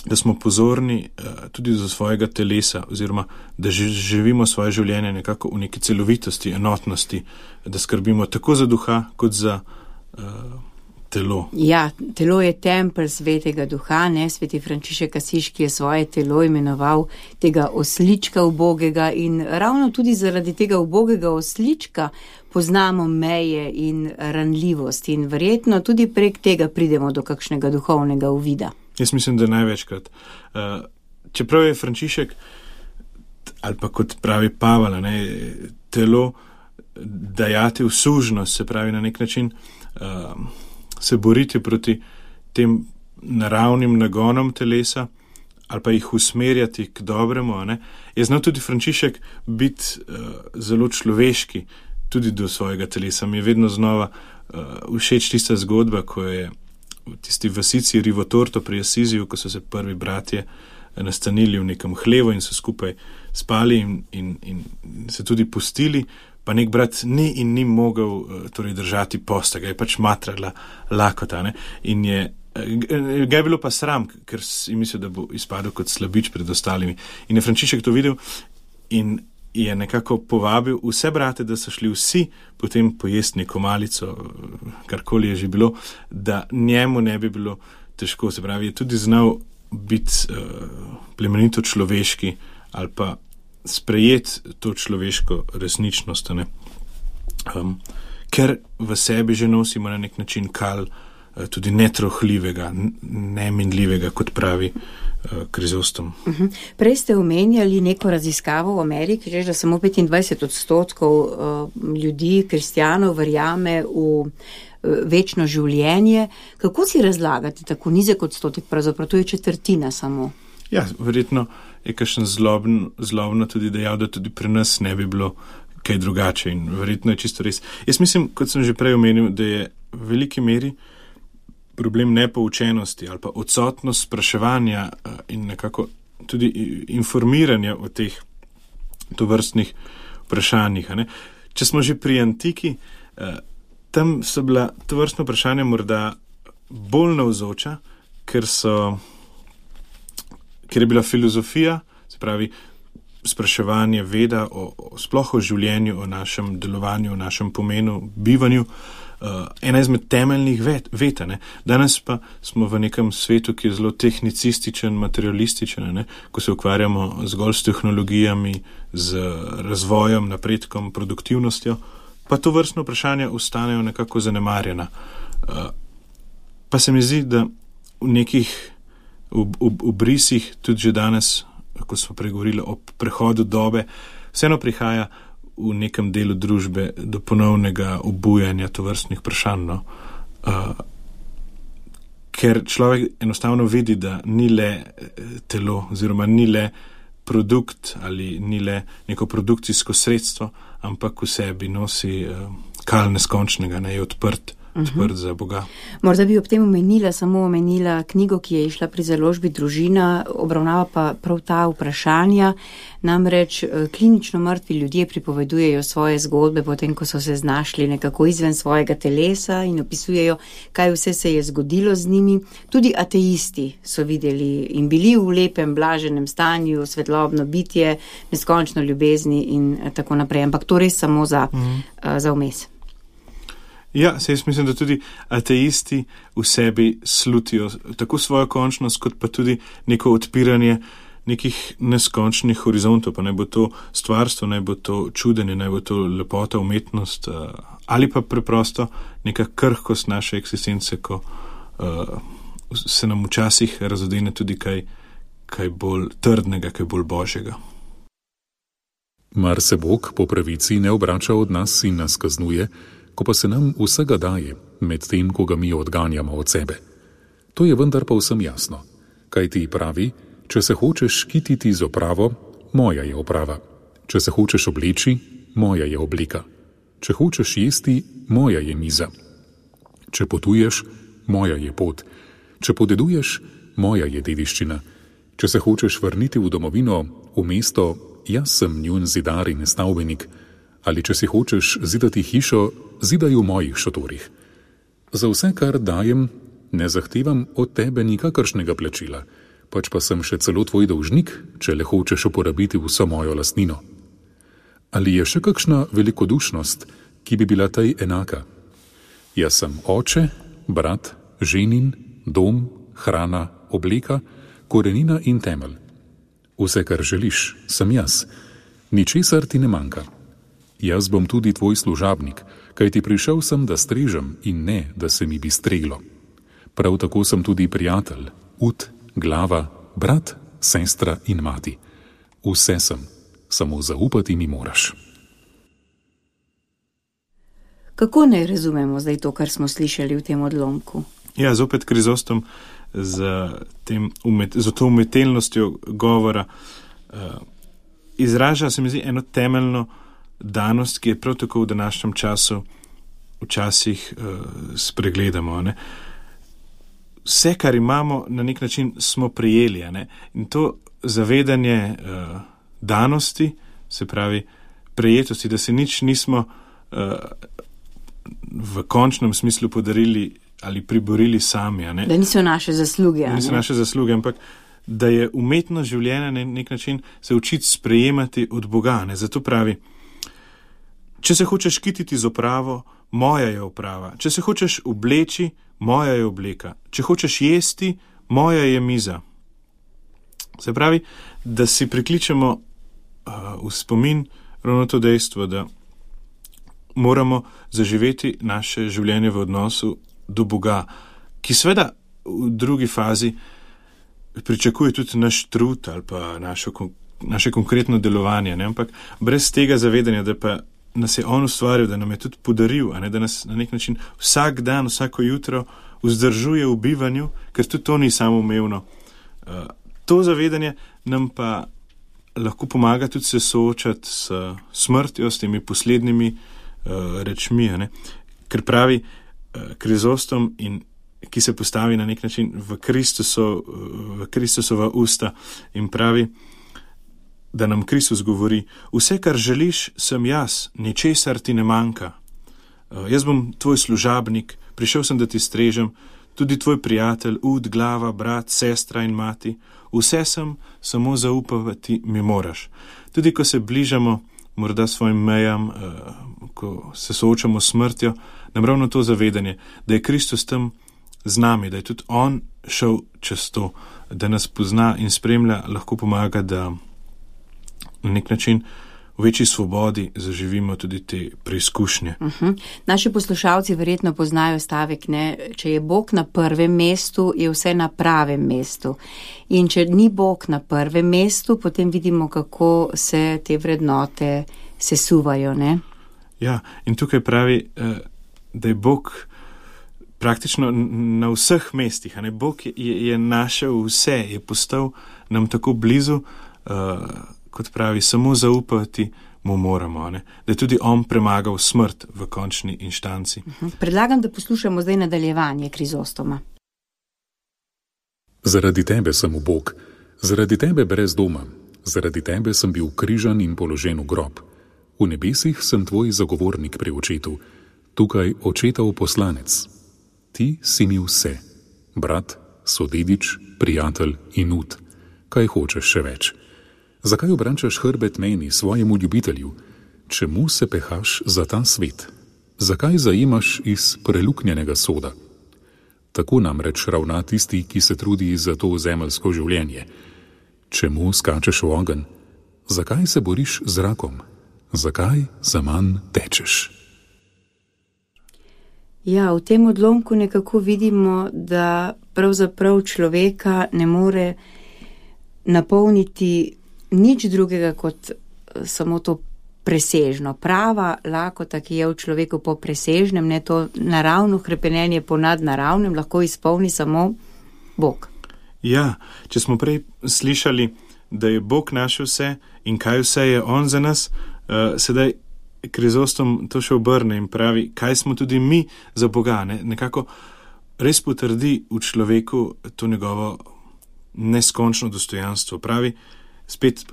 da smo pozorni uh, tudi do svojega telesa, oziroma da živimo svoje življenje nekako v neki celovitosti, enotnosti, da skrbimo tako za duha, kot za uh, telo. Ja, telo je tempelj svetega duha, ne? Sveti Frančišek Asiški je svoje telo imenoval tega oslička ubogega in ravno tudi zaradi tega ubogega oslička poznamo meje in ranljivost in verjetno tudi prek tega pridemo do kakšnega duhovnega uvida. Jaz mislim, da največkrat. Uh, čeprav je Frančišek, ali pa kot pravi Pavel, ne, telo dajati v sužnost, se pravi na nek način uh, se boriti proti tem naravnim nagonom telesa, ali pa jih usmerjati k dobremu, ne, je znal tudi Frančišek biti uh, zelo človeški, tudi do svojega telesa. Mi je vedno znova uh, všeč tista zgodba, ko je v tisti vasici Rivotorto pri Asiziju, ko so se prvi bratje nastanili v nekem hlevu in so skupaj spali in, in, in se tudi pustili, pa nek brat ni in ni mogel torej držati posta, ga je pač matrala lakota, ne? In je, ga je bilo pa sram, ker si mislil, da bo izpadel kot slabič pred ostalimi. In je Frančišek to videl in je nekako povabil vse brate, da so šli vsi potem pojesti neko malico, karkoli je že bilo, da njemu ne bi bilo težko. Se pravi, je tudi znal biti uh, plemenito človeški ali pa sprejeti to človeško resničnost, ne? Um, ker v sebi že nosimo na nek način kal uh, tudi netrohljivega, neminljivega, kot pravi Krizostom. Uh-huh. Prej ste omenjali neko raziskavo v Ameriki, že da samo petindvajset odstotkov uh, ljudi, kristjanov, verjame v uh, večno življenje. Kako si razlagate tako nizek odstotek? Pravzaprav to je četrtina samo. Ja, verjetno je kakšen zlobno, zlobno tudi dejal, da tudi pri nas ne bi bilo kaj drugače in verjetno je čisto res. Jaz mislim, kot sem že prej omenil, da je v veliki meri problem nepoučenosti ali pa odsotnost spraševanja in nekako tudi informiranja o teh tovrstnih vprašanjih. Ne? Če smo že pri antiki, tam so bila tovrstna vprašanja morda bolj navzoča, ker so, ker je bila filozofija, se pravi spraševanje veda o, o sploh o življenju, o našem delovanju, o našem pomenu, bivanju, Uh, ena izmed temeljnih vet, veta. Ne? Danes pa smo v nekem svetu, ki je zelo tehnicističen, materialističen, ne? Ko se ukvarjamo zgolj s tehnologijami, z razvojem, napredkom, produktivnostjo, pa to vrstno vprašanja ostanejo nekako zanemarjena. Uh, pa se mi zdi, da v nekih obrisih, tudi že danes, ko smo pregovorili o prehodu dobe, vseeno prihaja v nekem delu družbe do ponovnega obujanja tovrstnih vprašanj. No? Uh, ker človek enostavno vidi, da ni le telo, oziroma ni le produkt ali ni le neko produkcijsko sredstvo, ampak v sebi nosi uh, kal neskončnega, ne je odprt, odprt uh-huh. za Boga. Morda bi ob tem omenila, samo omenila knjigo, ki je išla pri založbi Družina, obravnava pa prav ta vprašanja. Namreč klinično mrtvi ljudje pripovedujejo svoje zgodbe, potem ko so se znašli nekako izven svojega telesa in opisujejo, kaj vse se je zgodilo z njimi. Tudi ateisti so videli in bili v lepem, blaženem stanju, svetlobno bitje, neskončno ljubezni in tako naprej. Ampak to res samo za, uh-huh. uh, za vmes. Ja, se jaz mislim, da tudi ateisti v sebi slutijo tako svojo končnost, kot pa tudi neko odpiranje nekih neskončnih horizontov, pa naj bo to stvarstvo, naj bo to čudenje, naj bo to lepota, umetnost, ali pa preprosto neka krhkost naše eksistence, ko uh, se nam včasih razodene tudi kaj, kaj bolj trdnega, kaj bolj božjega. Mar se Bog po pravici ne obrača od nas in nas kaznuje, ko pa se nam vsega daje, med tem, ko ga mi odganjamo od sebe. To je vendar pa vsem jasno. Kaj ti pravi, če se hočeš kititi z opravo, moja je oprava. Če se hočeš obleči, moja je oblika. Če hočeš jesti, moja je miza. Če potuješ, moja je pot. Če podeduješ, moja je dediščina. Če se hočeš vrniti v domovino, v mesto, jaz sem njun zidar in stavbenik. Ali če si hočeš zidati hišo, zidaj v mojih šotorih. Za vse, kar dajem, ne zahtevam od tebe nikakršnega plačila, pač pa sem še celo tvoj dolžnik, če le hočeš uporabiti vso mojo lastnino. Ali je še kakšna velikodušnost, ki bi bila tej enaka? Jaz sem oče, brat, ženin, dom, hrana, obleka, korenina in temelj. Vse, kar želiš, sem jaz. Ničesar ti ne manjka. Jaz bom tudi tvoj služabnik, kajti prišel sem, da strežem in ne, da se mi bi streglo. Prav tako sem tudi prijatelj, ud, glava, brat, sestra in mati. Vse sem, samo zaupati mi moraš. Kako naj razumemo zdaj to, kar smo slišali v tem odlomku? Ja, zopet Krizostom z, tem, z to umetelnostjo govora uh, izraža, se mi zdi, eno temeljno danost, ki je prav tako v današnjem času včasih uh, spregledamo. Ne? Vse, kar imamo, na nek način smo prijeli. Ne? In to zavedanje uh, danosti, se pravi prejetosti, da se nič nismo uh, v končnem smislu podarili ali priborili sami. Ne? Da niso naše zasluge. Da niso naše zasluge, ampak da je umetno življenje na nek način se učiti sprejemati od Boga. Ne? Zato pravi, če se hočeš kititi z opravo, moja je oprava. Če se hočeš obleči, moja je obleka. Če hočeš jesti, moja je miza. Se pravi, da si prikličemo uh, v spomin ravno to dejstvo, da moramo zaživeti naše življenje v odnosu do Boga, ki seveda v drugi fazi pričakuje tudi naš trud ali pa našo, naše konkretno delovanje, ne? Ampak brez tega zavedanja, da pa nas je on ustvaril, da nam je tudi podaril, a ne, da nas na nek način vsak dan, vsako jutro vzdržuje v bivanju, ker tudi to ni samoumevno. Uh, to zavedanje nam pa lahko pomaga tudi se soočati s smrtjo, s temi poslednjimi uh, rečmi, a ne? Ker pravi uh, Krizostom, in ki se postavi na nek način v, Kristuso, v Kristusova usta in pravi, da nam Kristus govori, vse, kar želiš, sem jaz, ničesar ti ne manjka. Uh, jaz bom tvoj služabnik, prišel sem, da ti strežem, tudi tvoj prijatelj, ud, glava, brat, sestra in mati. Vse sem, samo zaupavati mi moraš. Tudi ko se bližamo morda svojim mejam, uh, ko se soočamo s smrtjo, nam ravno to zavedanje, da je Kristus tam z nami, da je tudi on šel čez to, da nas pozna in spremlja, lahko pomaga, da na nek način v večji svobodi zaživimo tudi te preizkušnje. Uh-huh. Naši poslušalci verjetno poznajo stavek, ne, če je Bog na prvem mestu, je vse na pravem mestu. In če ni Bog na prvem mestu, potem vidimo, kako se te vrednote sesuvajo, ne? Ja, in tukaj pravi, da je Bog praktično na vseh mestih, a ne? Bog je, je našel vse, je postal nam tako blizu, uh, kot pravi, samo zaupati mu moramo, ne? Da je tudi on premagal smrt v končni inštanci. Uh-huh. Predlagam, da poslušamo zdaj nadaljevanje Krizostoma. Zaradi tebe sem v Bog, zaradi tebe brez doma, zaradi tebe sem bil križan in položen v grob. V nebesih sem tvoj zagovornik pri očetu, tukaj očetov poslanec. Ti si mi vse, brat, sodedič, prijatelj in ud. Kaj hočeš še več? Zakaj obrančaš hrbet meni, svojemu ljubitelju? Čemu se pehaš za ta svet? Zakaj zaimaš iz preluknjenega soda? Tako namreč ravna tisti, ki se trudi za to zemeljsko življenje. Čemu skačeš v ogenj? Zakaj se boriš z rakom? Zakaj za manj tečeš? Ja, v tem odlomku nekako vidimo, da pravzaprav človeka ne more napolniti nič drugega kot samo to presežno. Prava lakota, ki je v človeku po presežnem, ne to naravno hrepenenje po nadnaravnem, lahko izpolni samo Bog. Ja, če smo prej slišali, da je Bog naš vse in kaj vse je on za nas, uh, sedaj Krizostom to še obrne in pravi, kaj smo tudi mi za Boga. Ne? Nekako res potrdi v človeku to njegovo neskončno dostojanstvo. Pravi, spet,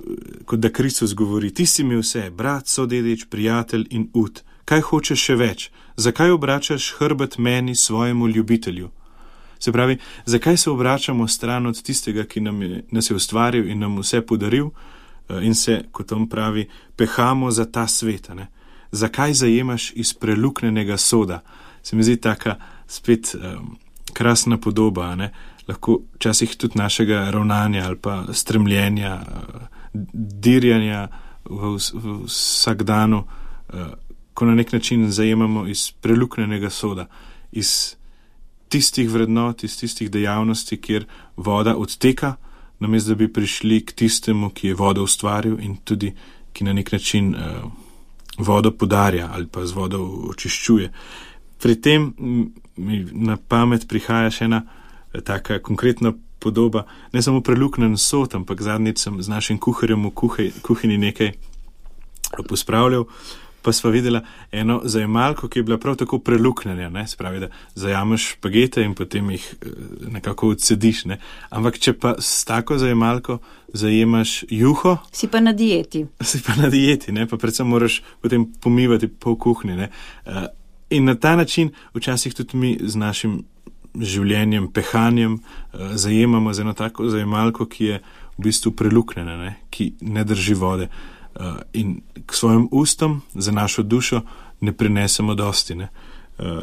kot da Kristus govori, ti si mi vse, brat, sodedič, prijatelj in ud. Kaj hočeš še več? Zakaj obračaš hrbet meni, svojemu ljubitelju? Se pravi, zakaj se obračamo stran od tistega, ki nam je, nas je ustvaril in nam vse podaril in se, kot on pravi, pehamo za ta svet, ne? Zakaj zajemaš iz preluknenega soda? Se mi zdi taka spet um, krasna podoba, ne? Lahko včasih tudi našega ravnanja ali pa stremljenja, uh, dirjanja v, v vsak danu, uh, ko na nek način zajemamo iz preluknenega soda, iz tistih vrednot, iz tistih dejavnosti, kjer voda odteka, namesto da bi prišli k tistemu, ki je vodo ustvaril in tudi, ki na nek način uh, vodo podarja ali pa z vodo očiščuje. Pri tem mi na pamet prihaja še ena taka konkretna podoba, ne samo preluknen sod, ampak zadnjič sem z našim kuharjem v kuhaj, kuhinji nekaj pospravljal, pa sva videla eno zajemalko, ki je bila prav tako preluknjena, ne, spravi, da zajameš špagete in potem jih nekako odsediš, ne. Ampak če pa s tako zajemalko zajemaš juho, si pa na dieti. Si pa na dieti, ne, pa predvsem moraš potem pomivati pol kuhinje, ne. In na ta način včasih tudi mi z našim življenjem, pehanjem zajemamo z eno tako zajemalko, ki je v bistvu preluknjena, ne, ki ne drži vode. Uh, in k svojim ustom za našo dušo ne prinesemo dosti. Ne? Uh,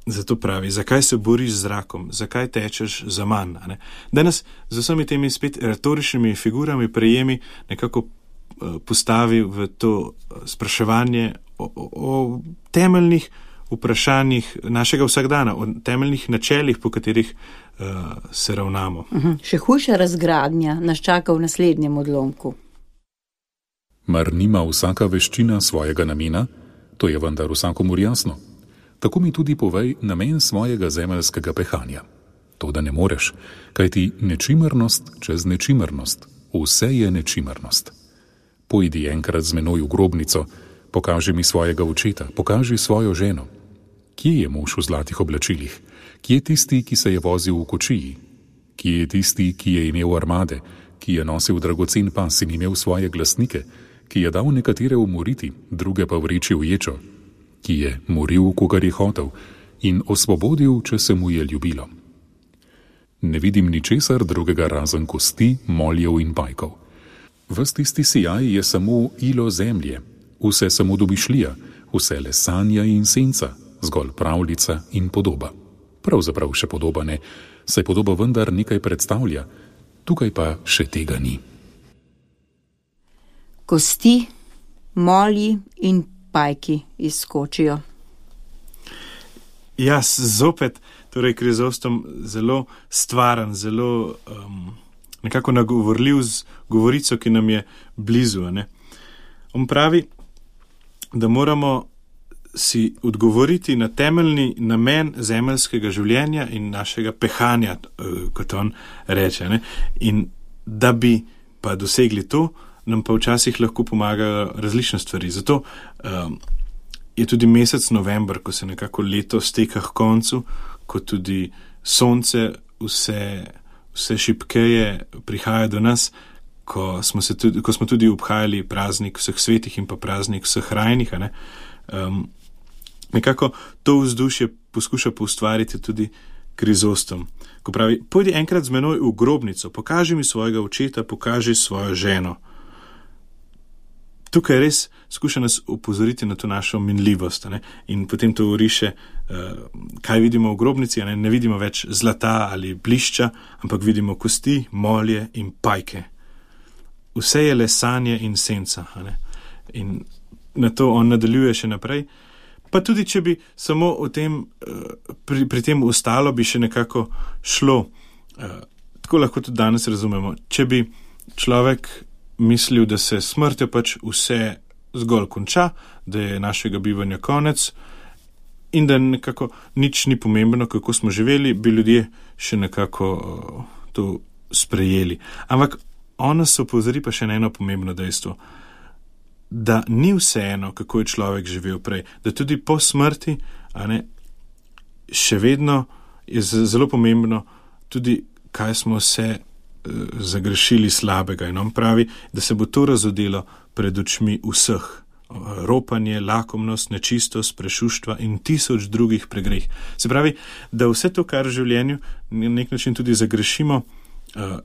zato pravi, zakaj se boriš z zrakom, zakaj tečeš za manj? Ne? Danes z vsemi temi spet retoričnimi figurami prejemi nekako uh, postavi v to uh, spraševanje o, o, o temeljnih vprašanjih našega vsakdana, o temeljnih načelih, po katerih uh, se ravnamo. Uh-huh. Še hujša razgradnja nas čaka v naslednjem odlomku. Mar nima vsaka veščina svojega namena? To je vendar vsakomur jasno. Tako mi tudi povej namen svojega zemeljskega pehanja. To, da ne moreš, kajti nečimernost čez nečimernost, vse je nečimernost. Pojdi enkrat z menoj v grobnico, pokaži mi svojega očeta, pokaži svojo ženo. Kje je mož v zlatih oblačilih? Kje je tisti, ki se je vozil v kočiji? Kje je tisti, ki je imel armade, ki je nosil dragocen pas in imel svoje glasnike, ki je dal nekatere umoriti, druge pa vreči v ječo, ki je moril, kogar je hotel, in osvobodil, če se mu je ljubilo. Ne vidim ničesar drugega razen kosti, moljev in pajkov. Ves tisti sijaj je samo ilo zemlje, vse samo domišljija, vse le sanja in senca, zgolj pravljica in podoba. Pravzaprav še podoba ne, saj podoba vendar nekaj predstavlja, tukaj pa še tega ni. Kosti, molji in pajki izskočijo. Jaz zopet, torej Krizostom zelo stvaren, zelo um, nekako nagovorljiv z govorico, ki nam je blizu. Ne? On pravi, da moramo si odgovoriti na temeljni namen zemeljskega življenja in našega pehanja, kot on reče. Ne? In da bi pa dosegli to, nam pa včasih lahko pomagajo različne stvari. Zato um, je tudi mesec november, ko se nekako leto steka k koncu, ko tudi sonce vse, vse šibkeje prihaja do nas, ko smo, se tudi, ko smo tudi obhajali praznik vseh svetih in pa praznik vseh rajnih. Ne? Um, nekako to vzdušje poskuša poustvariti tudi Krizostom. Ko pravi, pojdi enkrat z menoj v grobnico, pokaži mi svojega očeta, pokaži svojo ženo. Tukaj res skuša nas upozoriti na to našo minljivost, ne? In potem to uriše, uh, kaj vidimo v grobnici, ne? Ne vidimo več zlata ali blišča, ampak vidimo kosti, molje in pajke. Vse je le sanje in senca. Ne? In na to on nadaljuje še naprej. Pa tudi, če bi samo o tem, uh, pri, pri tem ostalo, bi še nekako šlo. Uh, tako lahko tudi danes razumemo. Če bi človek mislil, da se smrtjo pač vse zgolj konča, da je našega bivanja konec in da nekako nič ni pomembno, kako smo živeli, bi ljudje še nekako uh, to sprejeli. Ampak on nas opozori pa še na eno pomembno dejstvo, da ni vseeno, kako je človek živel prej, da tudi po smrti, a ne, še vedno je zelo pomembno tudi, kaj smo se zagrešili slabega. In on pravi, da se bo to razodelo pred očmi vseh. Ropanje, lakomnost, nečistost, prešuštva in tisoč drugih pregreh. Se pravi, da vse to, kar v življenju na nek način tudi zagrešimo, uh,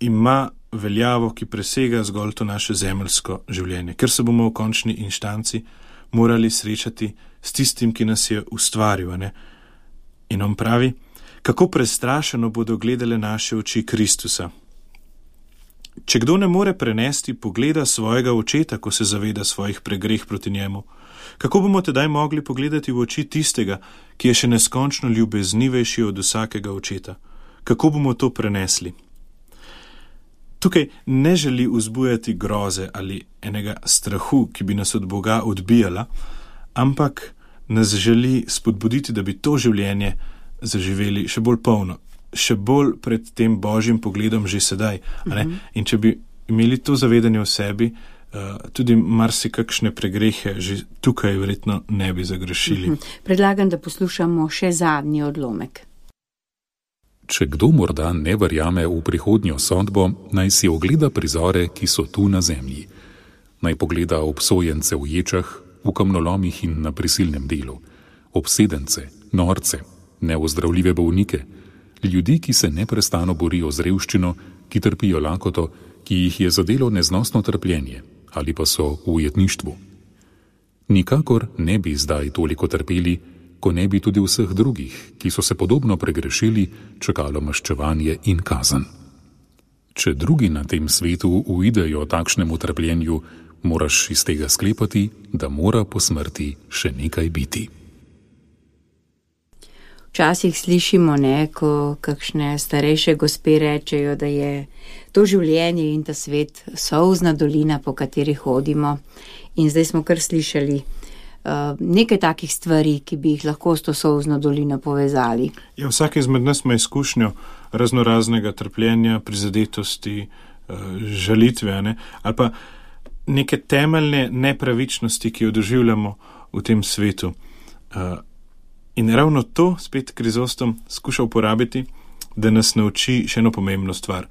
ima veljavo, ki presega zgolj to naše zemeljsko življenje, ker se bomo v končni inštanci morali srečati s tistim, ki nas je ustvaril. Ne? In on pravi, kako prestrašeno bodo gledale naše oči Kristusa. Če kdo ne more prenesti pogleda svojega očeta, ko se zaveda svojih pregreh proti njemu, kako bomo tedaj mogli pogledati v oči tistega, ki je še neskončno ljubeznivejši od vsakega očeta? Kako bomo to prenesli? Tukaj ne želi vzbujati groze ali enega strahu, ki bi nas od Boga odbijala, ampak nas želi spodbuditi, da bi to življenje zaživeli še bolj polno, še bolj pred tem Božjim pogledom že sedaj. A ne? In če bi imeli to zavedanje v sebi, tudi marsikakšne pregrehe že tukaj verjetno ne bi zagrešili. Predlagam, da poslušamo še zadnji odlomek. Če kdo morda ne verjame v prihodnjo sodbo, naj si ogleda prizore, ki so tu na zemlji. Naj pogleda obsojence v ječah, v kamnolomih in na prisilnem delu, obsedence, norce, neozdravljive bolnike, ljudi, ki se neprestano borijo z revščino, ki trpijo lakoto, ki jih je zadelo neznosno trpljenje ali pa so v ujetništvu. Nikakor ne bi zdaj toliko trpeli, ko ne bi tudi vseh drugih, ki so se podobno pregrešili, čakalo maščevanje in kazen. Če drugi na tem svetu uidejo takšnemu trpljenju, moraš iz tega sklepati, da mora po smrti še nekaj biti. Včasih slišimo, ne, ko kakšne starejše gospe rečejo, da je to življenje in ta svet solzna dolina, po kateri hodimo. In zdaj smo kar slišali uh, nekaj takih stvari, ki bi jih lahko s to solzno dolino povezali. Ja, vsak izmed nas ima izkušnjo raznoraznega trpljenja, prizadetosti, uh, žalitve, ne? Ali pa neke temeljne nepravičnosti, ki jo doživljamo v tem svetu. Uh, In ravno to spet Krizostom skuša uporabiti, da nas nauči še eno pomembno stvar.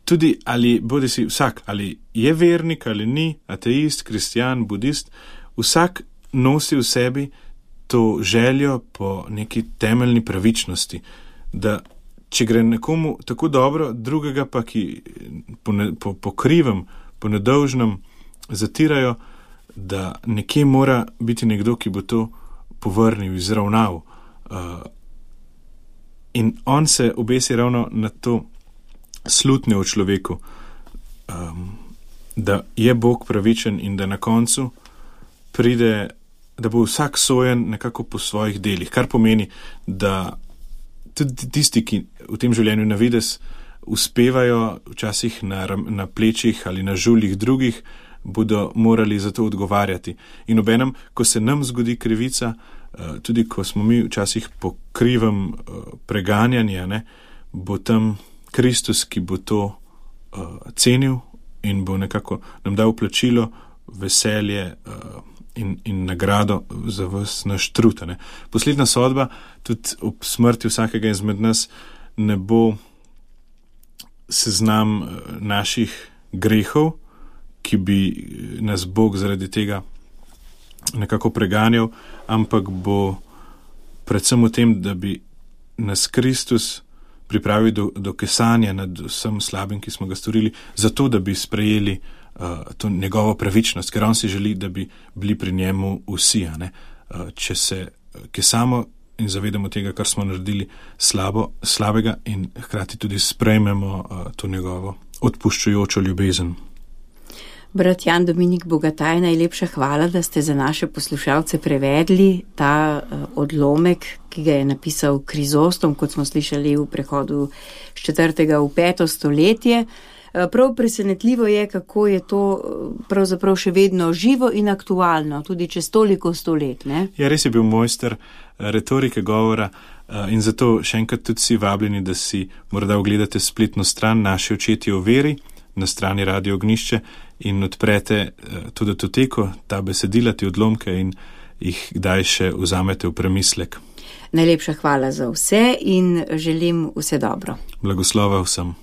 Tudi ali bodi si vsak, ali je vernik ali ni, ateist, kristjan, budist, vsak nosi v sebi to željo po neki temeljni pravičnosti, da če gre nekomu tako dobro, drugega pa, ki po, ne, po, po krivem, po nedolžnem zatirajo, da nekje mora biti nekdo, ki bo to povrnil, izravnal. Uh, in on se obesi ravno na to slutnje v človeku, um, da je Bog pravičen in da na koncu pride, da bo vsak sojen nekako po svojih delih, kar pomeni, da tudi tisti, ki v tem življenju na vides uspevajo včasih na, na plečih ali na žuljih drugih, bodo morali za to odgovarjati. In obenem, ko se nam zgodi krivica, tudi ko smo mi včasih po krivem preganjanja, ne, bo tam Kristus, ki bo to uh, cenil in bo nekako nam dal plačilo, veselje uh, in, in nagrado za vas naš trud. Ne. Poslednja sodba, tudi ob smrti vsakega izmed nas, ne bo seznam naših grehov, ki bi nas Bog zaradi tega nekako preganjal, ampak bo predvsem v tem, da bi nas Kristus pripravil do, do kesanja nad vsem slabim, ki smo ga storili, zato da bi sprejeli uh, to njegovo pravičnost, ker on si želi, da bi bili pri njemu vsi. Ne? Uh, če se kesamo in zavedamo tega, kar smo naredili slabo, slabega in hkrati tudi sprejmemo uh, to njegovo odpuščujočo ljubezen. Brat Jan Dominik Bogataj, najlepša hvala, da ste za naše poslušalce prevedli ta uh, odlomek, ki ga je napisal Krizostom, kot smo slišali v prehodu z četrtega v peto stoletje. Uh, prav presenetljivo je, kako je to uh, pravzaprav še vedno živo in aktualno, tudi čez toliko stolet. Ne? Ja, res je bil mojster retorike govora uh, in zato še enkrat tudi si vabljeni, da si morda ogledate spletno stran Naši očetje o veri na strani Radio Ognišče in odprete to datoteko, ta besedila, te odlomke in jih kdaj še vzamete v premislek. Najlepša hvala za vse in želim vse dobro. Blagoslova vsem.